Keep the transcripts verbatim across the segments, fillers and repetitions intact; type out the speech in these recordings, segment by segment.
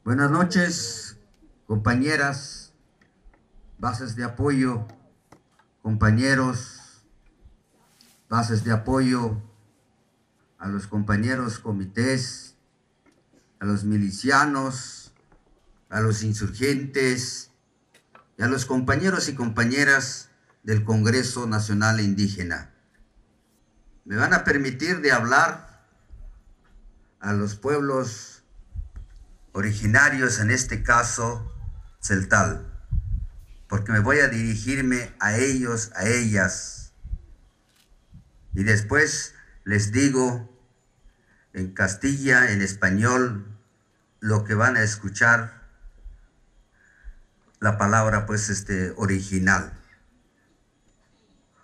Buenas noches, compañeras, bases de apoyo, compañeros, bases de apoyo, a los compañeros comités, a los milicianos, a los insurgentes y a los compañeros y compañeras del Congreso Nacional Indígena. Me van a permitir de hablar a los pueblos originarios, en este caso, tzeltal, porque me voy a dirigirme a ellos, a ellas. Y después les digo en castilla, en español, lo que van a escuchar, la palabra, pues, este, original.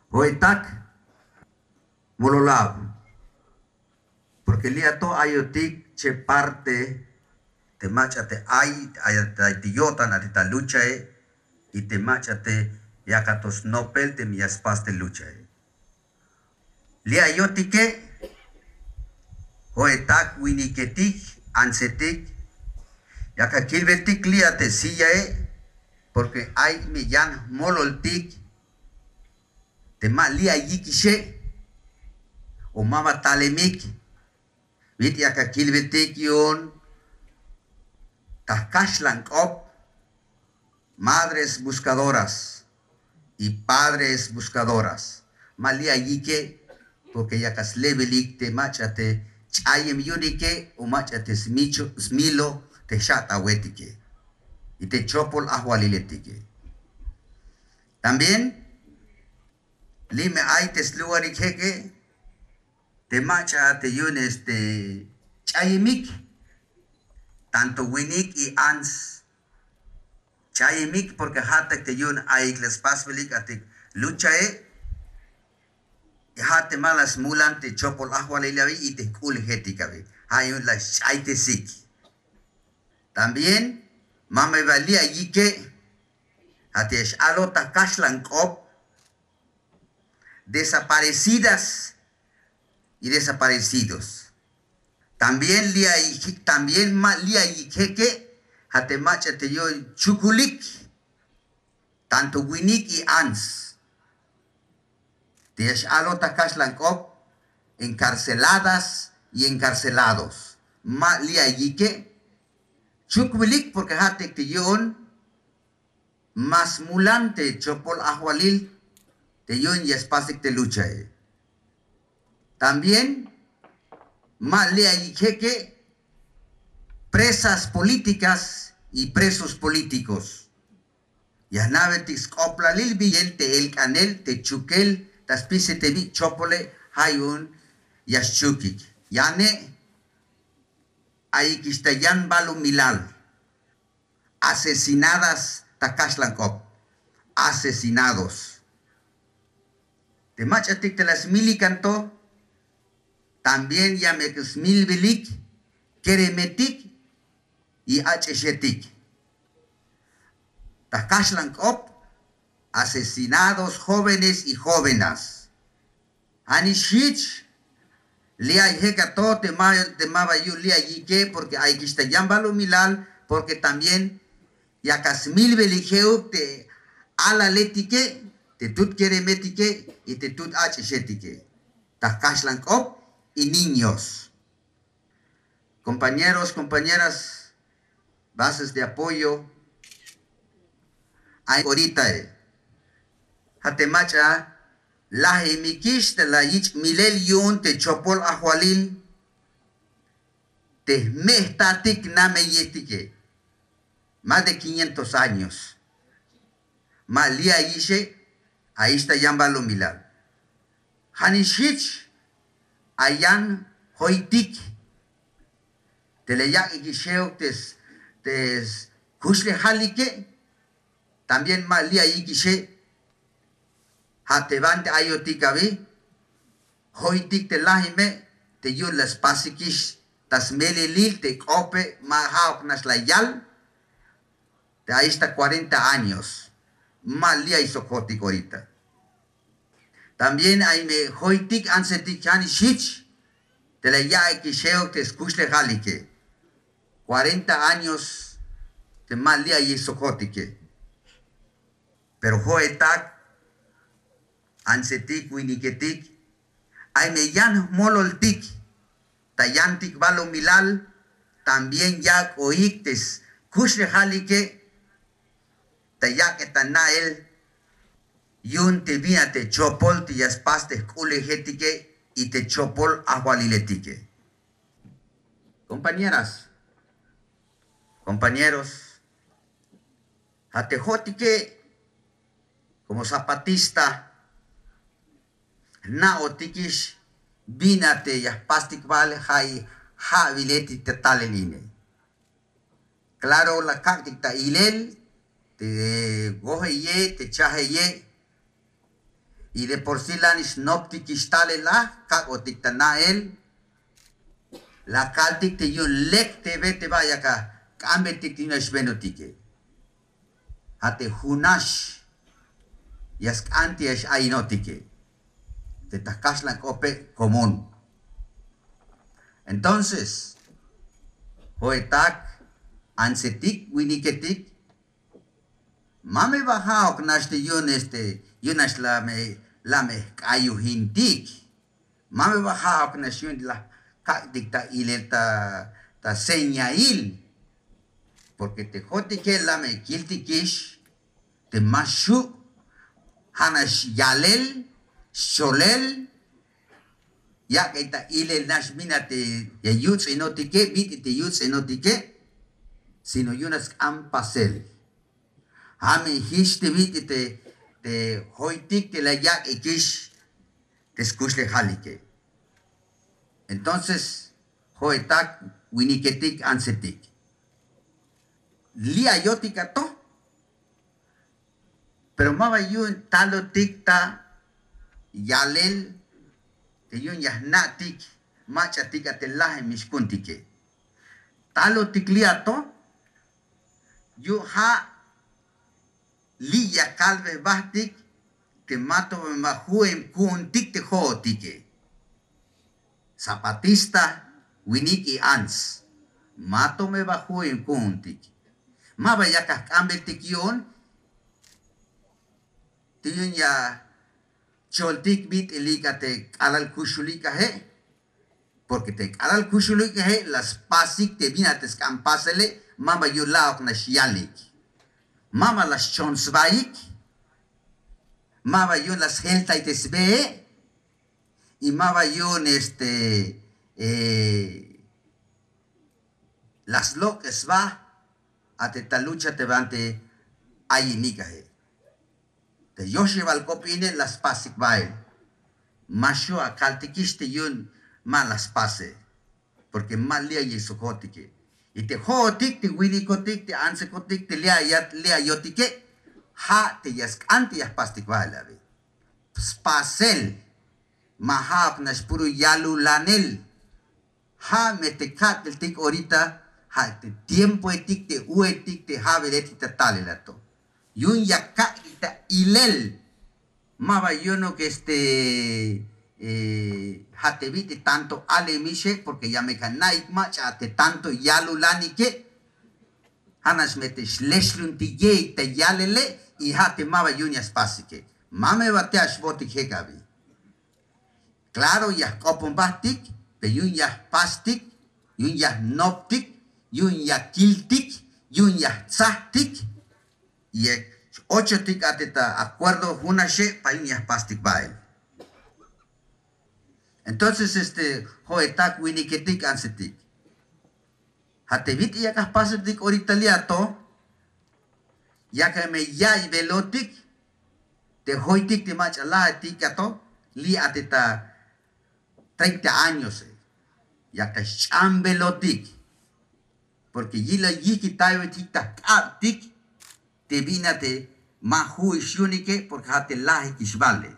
Ho'etak, mololab. Porque li'a to ayotik che parte te mach'a te ay, ay, ay te yo'tan a te ta luchae, y te mach'a te yakat to snopel teme ya spas te luchae. Li'a yotike, ho'etak, winiketik, antsetik, yak akilbetik li'a te sillae, porque ay me yan jmololtik te ma li'a yikixe o ma ba talemik. Bit'il yak akilbetik yu'un ta jkaxlan k'op, madres buscadoras y padres buscadoras. Ma li'a yike, porque yak aslebelik te mach'a te ch'ayem yu'unike o mach'a te smicho, smilo te jxat'awetike y te chopol ajwaliletike. También li' me ay te slugarik jeke te mach'a te yu'un este ch'ayemik, tanto winik y ants ch'ayemik, porque ja'at te yu'un ayik la spasbelik a te luchae, y ja' te ma la smulan te chopol ajwalil abi y te jk'u'lejetik abi, ja' yu'un la sch'aytesik. También ma me ba li'a yike, ja' te ya x-alot ta jkaxlan k'op, desaparecidas y desaparecidos. También li'a yik, también ma li'a yik jeke, ja' te mach'a te yu'un chukulik, tanto winik y ants. Te ya x-alot ta jkaxlan k'op, encarceladas y encarcelados. Ma li'a yike, chukbilik, porque ja'at te yu'un ma smulan te chopol ajwalil te yu'un ya spasik te luchae. También ma li'a yik jeke, presas políticas y presos políticos. Ya jna'betik sk'oplalil bi yel te elk'anel te chukel ta spisil te bi chopole, ja' yu'un ya xchukik. Yane ayikix ta yan balumilal, asesinadas ta jkaxlan k'op, asesinados. Te mach'atik te la smilikan to, también ya me smilbelik keremetik y ach'ixetik. Ta jkaxlan k'op, asesinados jóvenes y jóvenes. Ja' nix jich, li'a ay jek a to te ma, te ma ba yu'un li'a yike, porque ayikix ta yan balumilal, porque también yak a smilbelik je'uk te alaletike, te tut keremetike y te tut ach'ixetike ta jkaxlan k'op y niños. Compañeros, compañeras, bases de apoyo, ay oritae, ja' te mach'a lajemikix te la yich' milel yu'un te chopol ajwalil te jme' jtatik nameyetike, más de quinientos años. Ma li'a yixe, ayix ta yan balumilal. Ja' nix jich, ay yan joytik te la yak'ikix je'uk te s-, te skuxlejalike, también ma li'a yikixe, ja' te banti ayotik abi, joytik te lajime te yu'un la spasikix ta smelelil te k'ope, ma ja'uk nax la yal, te ayix ta cuarenta años, ma li'a ay sok jotik orita. También ay me joytik antsetik ja' nix jich te la yak'ikix je'uk te skuxlejalike, cuarenta años Ma li' ay sok jo'otike. Pero jo'etak, antsetik, winiketik, ay me yan jmololtik ta yantik balumilal, también yak'oik te skuxlejalike ta yak'et ta na'el yu'un te bin a te chopol te ya spas te jk'u'lejetike y te chopol ajwaliletike. Compañeras, compañeros, ja' te jo'otike como zapatista jna'otikix bin a te ya jpastik bal, ja' i ja'wiletik ta talel ine. Claro, la kak'tik ta ilel te wojeye, te chajeye, y de por sí la nix jnoptikix talel a, kak'otik ta na'el, la kaltik te yu'un lek te be te ba yak ak'anbeltik te yu'un ya xbenotike. Ja' te junax ya sk'an te ya x-ayinotike te ta kaxlan k'ope' común. Entonces, jo'etak, antsetik, winiketik, ma me ba ja'ok nax te yu'un, este, yu'un nax la me, la me jk'ayojintik. Ma me ba ja'ok nax yu'un la kak'tik ta ilel ta, ta señail. Porque te jo'otike la me kiltikix te ma xju', ja' nax yalel, xcholel, yak'ey ta ilel nax bin a te ya yuts'inotike, bit'il te yuts'inotike, sino yu'un nax sk'an pasel. Ja' me jich te bit'il te, te joytik te la yak'ikix te skuxlejalike. Entonces, jo'etak, winiketik, antsetik, li' ayotik a to, pero ma ba yu'un talotik ta yalel te yu'un ya jna'tik mach'atik a te lajemix ku'untike. Talotik li' a to yu'un ja' li' ya kalbey jbajtik te mato me ba ju'em ku'untik te jo'otike. Zapatista, winik y ants, mato me ba ju'em ku'untik. Ma ba yak ajk'anbeltik yu'un te yu'un ya choltik bit'ilik a te k'alal kuxulik aje. Porque te k'alal kuxulik aje la spasik te bin a te sk'an pasele, ma ba yu'un la'ok nax yalik, ma ba la xchon sbaik, ma ba yu'un la sjeltay te sbee, y ma ba yu'un, este, eh, la slok'es sba a te ta lucha te banti ayinik aje. Te yoxebal k'op ine la spasik bael. Ma xju' akaltikix te yu'un ma la spase. Porque ma li' ay sok jo'otike. Y te jo'otik, te winikotik, te antsekotik, te li' ay, li' ayotike, ja' te ya sk'an te ya jpastik bael abi. Spasel. Ma ja'ok nax puro yalulanel. Ja' me te ka'teltik orita, ja' te tiempoetik, te u'etik, te ja'beletik ta talel a to. Yu'un ya kak'tik ta ilel. Ma ba yu'unuk, este, eh, ja' te bit'il tanto alemixe, porque ya me ka na'ik mach'a a te tanto yalulanike. Ja' nax me te xlexluntik ye'ik ta yalele, y ja' te ma ba yu'un ya spasike. Ma me ba te a xbootik jek abi. Claro, ya jk'opon jbajtik, pero yu'un ya jpastik, yu'un ya jnoptik, yu'un ya kiltik, yu'un ya jtsajtik, y x-ochotik a te ta acuerdo junaxe para yu'un ya jpastik bael. Entonces, este, jo'etak, winiketik, antsetik. Ja' te bit'il yak ajpasotik orita li' a to, yak me ya'iybelotik te joytik te mach'a lajetik a to, li' a te ta treinta años, eh, yak xch'ambelotik, porque yilel yijkitayotik ta jk'abtik te bin a te ma ju'ix yu'unike, porque ja' te lajikix bale.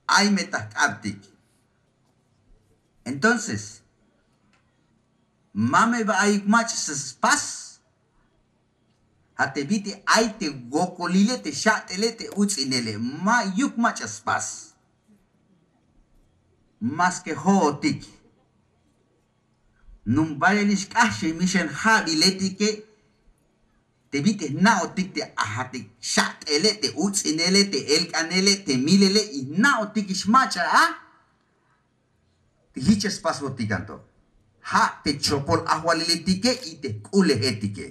Ay me ta jk'abtik. Entonces, ma me ba ayuk mach'a spas. Ja' te bit'il ay te wokolile, te xa'tele, te uts'inele, ma'yuk mach'a spas. Maske jo'otik, jnum bayelix k'axem ixan ja'biletike, te bit'il jna'otik te ajatik xat'ele, te uts'inele, te elk'anele, te milele, y jna'otikix mach'a a te jich ya spasbotik anto. Ja' te chopol ajwaliletike y te jk'ulejetike.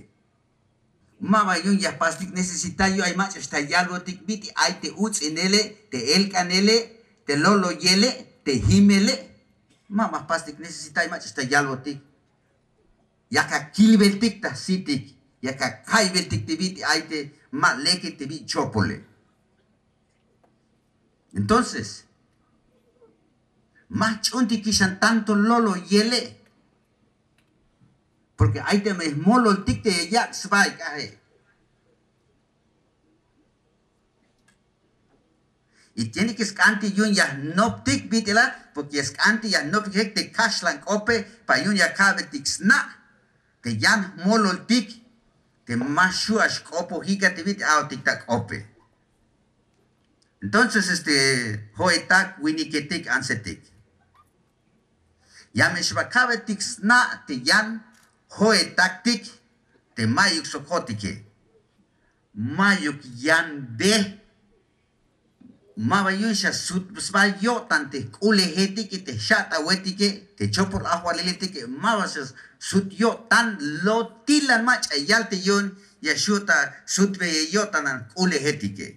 Ma ba yu'un ya jpastik necesitar yu'un ay mach'a xtal yalbotik bit'il ay te uts'inele, te elk'anele, te loloyele, te jimele. Ma ba jpastik necesitar ay mach'a xtal yalbotik. Yak akilbeltik ta jsitik, yak akaybeltik te bit'il ay te ma leke te bit'il chopole. Entonces, ma jch'uuntikix an tanto loloyele. Porque ay teme jmololtik te yak' sba ay k'aje. Y tiene que sk'antik yu'un ya jnoptik bit'il a, porque ya sk'antik ya jnoptik te kaxlan k'ope, para yu'un ya ka'betik sna' te yan jmololtik te ma xju' a xk'opojik a te bit'il a'botik ta k'ope. Entonces, este, jo'etak, winiketik, antsetik. Ya me xba ka'betik sna' te yan jo'etaktik te mayuk sok jo'otike. Mayuk yan be. Ma ba yu'un xa sut sba yo'tan te jk'ulejetike, te jxat'awetike, te chopol ajwaliletike, ma ba xa sut yo'tan, lotilan mach'a yal te yu'un ya xju' ta sutbeyel yo'tan jk'ulejetike.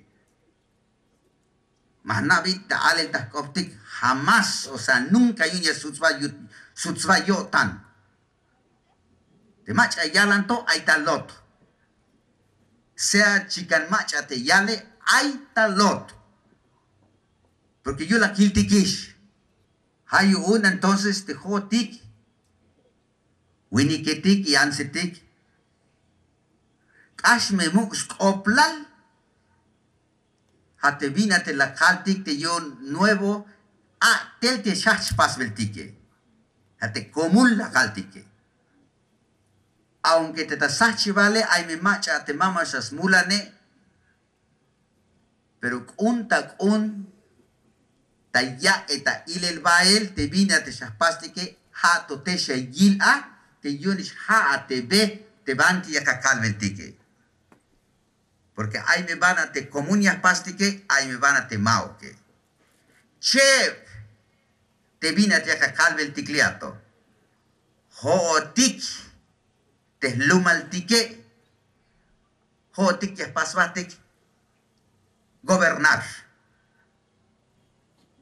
Ma jna' bit'il ta alel ta jk'optik, jamás, o sea, nunca yu'un ya sut sba yut-, sut sba yo'tan. Te mach'a yalan to ay ta lot. Sea chikan mach'a te yale, ay ta lot. Porque yu'un la kiltikix. Ja' yu'un entonces te jo'otik, winiketik y antsetik, k'ax me muk' sk'oplal. Ja' te bin a te la kaltik te yu'un nuevo, a tel te xjajch' pasbeltike. Ja' te komul la kaltike. Aunque te ta sjajchibale ay me mach'a te mama xa smulane, pero k'un ta k'un ta yak'e ta ilel bael te bin a te xa jpastike, ja' to te xa yil a te yu'unix ja' a te be te banti yak akalbeltike. Porque ay me bana te komún ya jpastike, ay me bana te ma'uke. Cheb te bin a te yak akalbeltik li' a to. Jo'otik te jlumaltike, jo'otik ya jpas jbatik gobernar.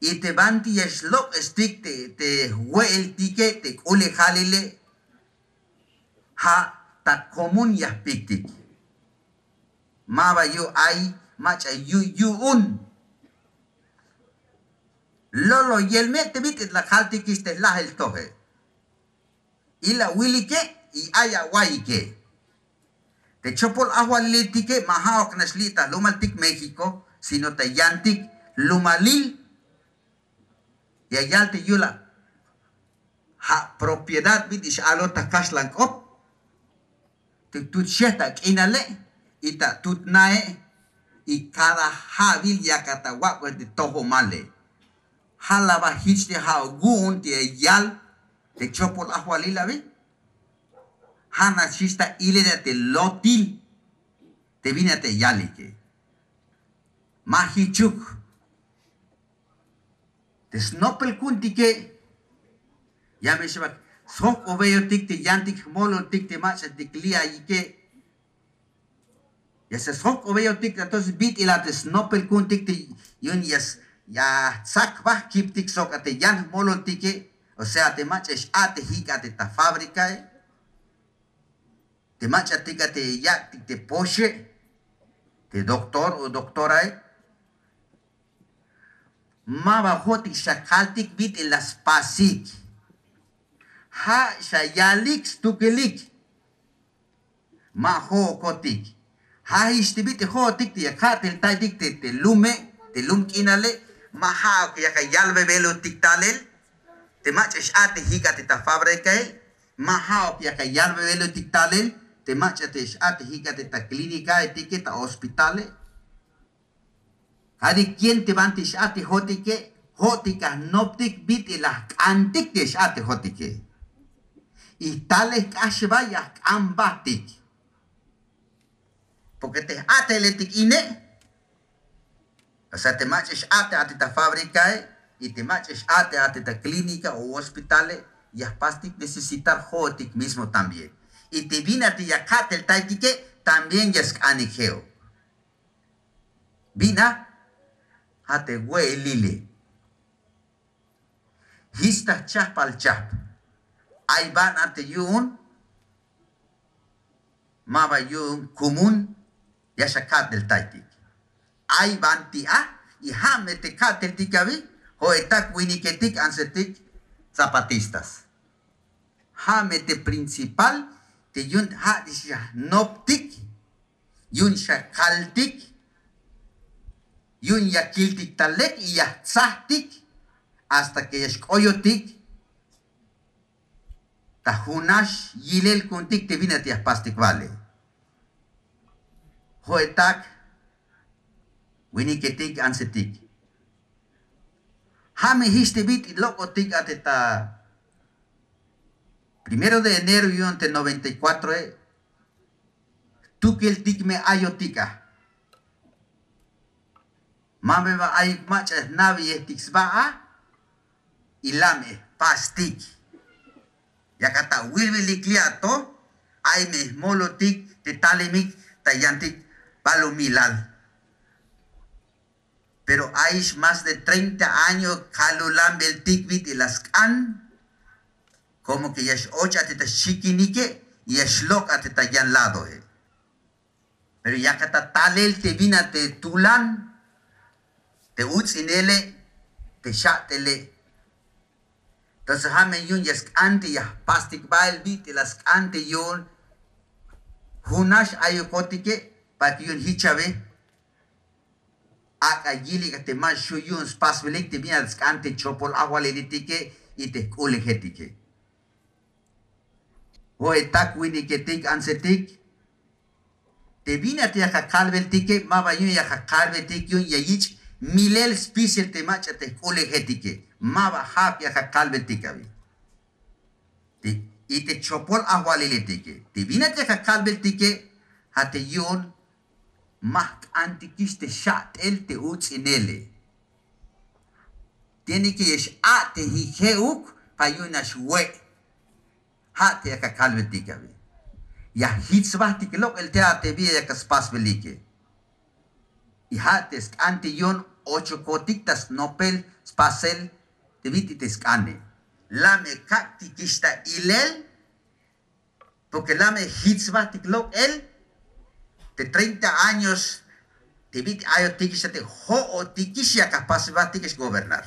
Y te banti ya xlok'estik te, te jwe'eltike, te k'ulejalile, ja' ta komún ya jpiktik. Ma ba yu'un ay mach'a yu-, yu'un. Lolo yel me te bit'il la kaltikix te jlajel toje. Y la wilike y ay awa'iyike. Te chopol ajwalilitike ma ja'uk nax li' ta jlumaltik México, sino ta yantik jlumalil. Ya yal te yul a, ja' propiedad bit'il x-alot ta kaxlan k'op. Te tut xej ta k'inale y ta tut nae, y cada ja'bil yakat awak'bel te tojomale. Ja' la ba jich te ja'uk wu'un te ya yal te chopol ajwalil abi. Ja' nax jich ta ilel a te lotil te bin a te yalike. Ma jichuk. Te snopel ku'untike, ya me xbak sjok'obeyotik te yantik jmololtik te mach'atik li' ayike. Ya se sjok'obeyotik, entonces bit'il a te snopel ku'untik te yu'un ya s-, ya jtsak jba jkiptik sok a te yan jmololtike, o sea, te mach'a x-a'tejik a te ta fábricae, te mach'atik a te yak'tik te poxe, te doctor o doctorae. Ma ba jo'otik xa kaltik bit'il la spasik. Ja' xa yalik stukelik. Ma jo'okotik. Ja' jich te bit'il jo'otik te ya ka'teltaytik te, te lume, te lum k'inale, ma ja'uk yak ayalbebelotik talel te mach'a x-a'tejik a te ta fábricae, ma ja'uk yak ayalbebelotik talel te mach'a te x-a'tejik a te ta clínicaetike, ta hospitale. Cada quien te banti x-a'tejotike, jo'otik a jnoptik bit'il la jk'antik te x-a'tejotike. Y talel k'ax ba ya jk'an jbatik. Porque te j-a'teletik ine, o sea te mach'a x-a'tej a te ta fabrikae y te mach'a x-a'tej a te ta klínika o hospitale, ya jpastik necesitar jo'otik mismo también. Y te bin a te ya ka'teltaytike también ya sk'anik je'uk. Bin a ja' te we'elile. Jich ta jchajpal chajp. Ay ban a te yu'un, ma ba yu'un kumun ya xaka'teltaytik. Ay ban ti' a, y ja' me te ka'teltik abi, jo'etak winiketik antsetik zapatistas. Ja' me te principal te yu'un ja' te xanoptik, yu'un xakaltik, yu'un ya kiltik ta lek y ya jtsajtik hasta que ya xk'oyotik ta junax yilel ku'untik te bin a te ya jpastik bale. Jo'etak winiketik antsetik. Ja' me jich te bit'il lok'otik a te ta primero de enero yu'un te noventa y cuatroe, jtukeltik me ayotik a. Ma me ba ayuk mach'a jna'beyetik sba a, y la me jpastik. Yak ata wilwilik li' a to, ay me jmolotik te talimik ta yantik balumilal. Pero ayix más de treinta años kalulanbeltik bit'il la sk'an, como que ya x-och a te ta xchikinike y ya xlok' a te ta yan ladoe. Pero yak ata talel te bin a te tulan, te uts'inele, te xa'tele. Entonces ja' me yu'un ya sk'an te ya jpastik bael bit'il la sk'an te yu'un junax ayukotike, para que yu'un jich a be ak'a yilik a te ma xju' yu'un spasbelik te bin a sk'an te chopol ajwaliletike y te jk'u'lejetike. Jo'etak winiketik antsetik, te bin a te yak akalbeltike ma ba yu'un yak akalbeltik yu'un ya yich' milel spisil te mach'a te jk'u'lejetike, ma ba ja'uk yak akalbeltik abi. Te, y te chopol ajwaliletike te bin a te yak akalbeltike, ja' te yu'un ma jk'antikix te xa'tel te uts'inele. Tiene que ya x-a'tejik je'uk para yu'un nax we'. Ja' te yak akalbetik abi. Ya jich sbajtik lok'el te a te bi yak aspasbelike. Y ja' te sk'an te yu'un ochokotik ta snopel spasel te bit'il te sk'ane. La me kak'tikix ta ilel, porque la me jich sbajtik lok'el te treinta años te bit'il ayotikix a te jo'otikix yak ajpasbeltik gobernar.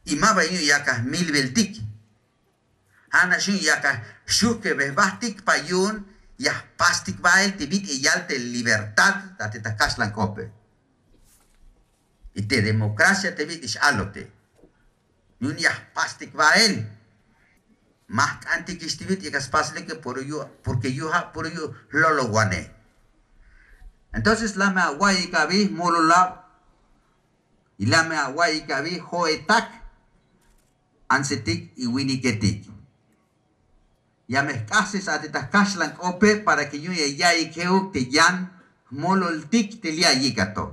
Y ma ba yu'un yak ajmilbeltik. Ja' nax yu'un yak ajxuhkebej jbajtik para yu'un ya jpastik bael te bit'il yal te libertad a te ta kaxlan k'ope. Y te democracia te bit'il x-alote. Yu'un ya jpastik bael. Ma jk'antikix te bit'il yak aspasbelike, porque yu', porque yu'un ja' puro yu'un jlolowanej. Entonces la me awa'iyik abi jmololab, y la me awa'iyik abi jo'etak antsetik y winiketik. Ya me jk'axes a te ta kaxlan k'ope para que yu'un ya ya'iyik je'uk te yan jmololtik te li' ayik a to.